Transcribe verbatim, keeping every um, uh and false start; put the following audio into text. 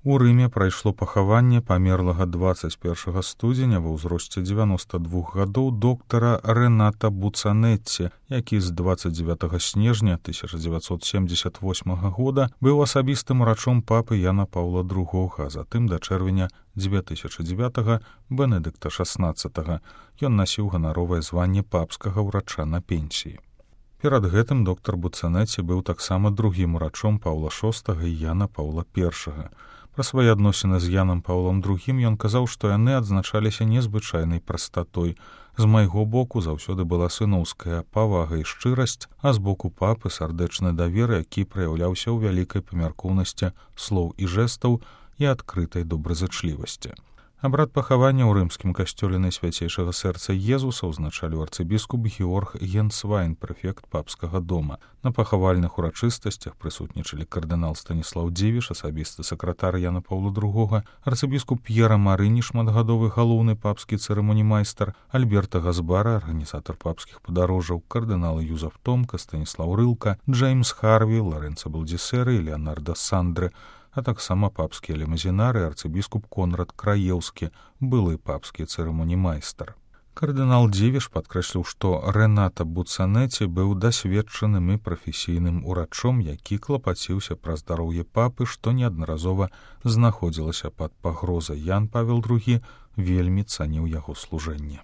У Рыме прайшло пахаванне памерлага дваццаць першага студзеня ва ўзросце дзевяноста двух гадоў доктара Рената Буцанетці, які з дваццаць дзевятага снежня тысяча дзевяцьсот семдзесят восьмага года быў асабістым урачом папы Яна Паўла другога, а затым да чэрвеня дзве тысячы дзевятага Бенедыкта шаснаццатага. Ён насіў ганаровае званне папскага ўрача на пенсіі. Перад гэтым доктар Буцанетці быў таксама другім урачом Паўла шостага і Яна Паўла першага. Пра свае адносіны з Янам Паўлам другім ён казаў, што яны адзначаліся незвычайнай прастатой. З майго боку заўсёды была сыноўская павага і шчырасць, а з боку папы сардэчны давер, які праяўляўся ў вялікай памяркоўнасці слоў і жэстаў і адкрытай добразычлівасці. Абрад пахавання ў рымскім касцёле Найсвяцейшага сэрца Езуса ўзначаліў арцыбіскуп Георг Генсвайн, прэфект папскага дома. На пахавальных урачыстасцях прысутнічалі кардынал Станіслаў Дзівіш, асабісты сакратар Яна Паўла другога, арцыбіскуп П'ера Марыні, шматгадовы галоўны папскі цырымонімайстар, Альберта Газбара, арганізатар папскіх падарожжаў, кардыналы Юзаф Томка, Станіслаў Рылка, Джеймс Харві, Ларэнца Балдзісера і Леонарда Сандры, а таксама папскія лімузінары, арцыбіскуп Конрад Краеўскі, былы папскі цырымонімайстар. Кардынал Дзівіш падкрэсліў, што Рената Буцанетці быў дасведчаным і прафесійным урачом, які клапаціўся пра здароўе папы, што неаднаразова знаходзілася пад пагрозай. Ян Павел другі вельмі цаніў яго служэнне.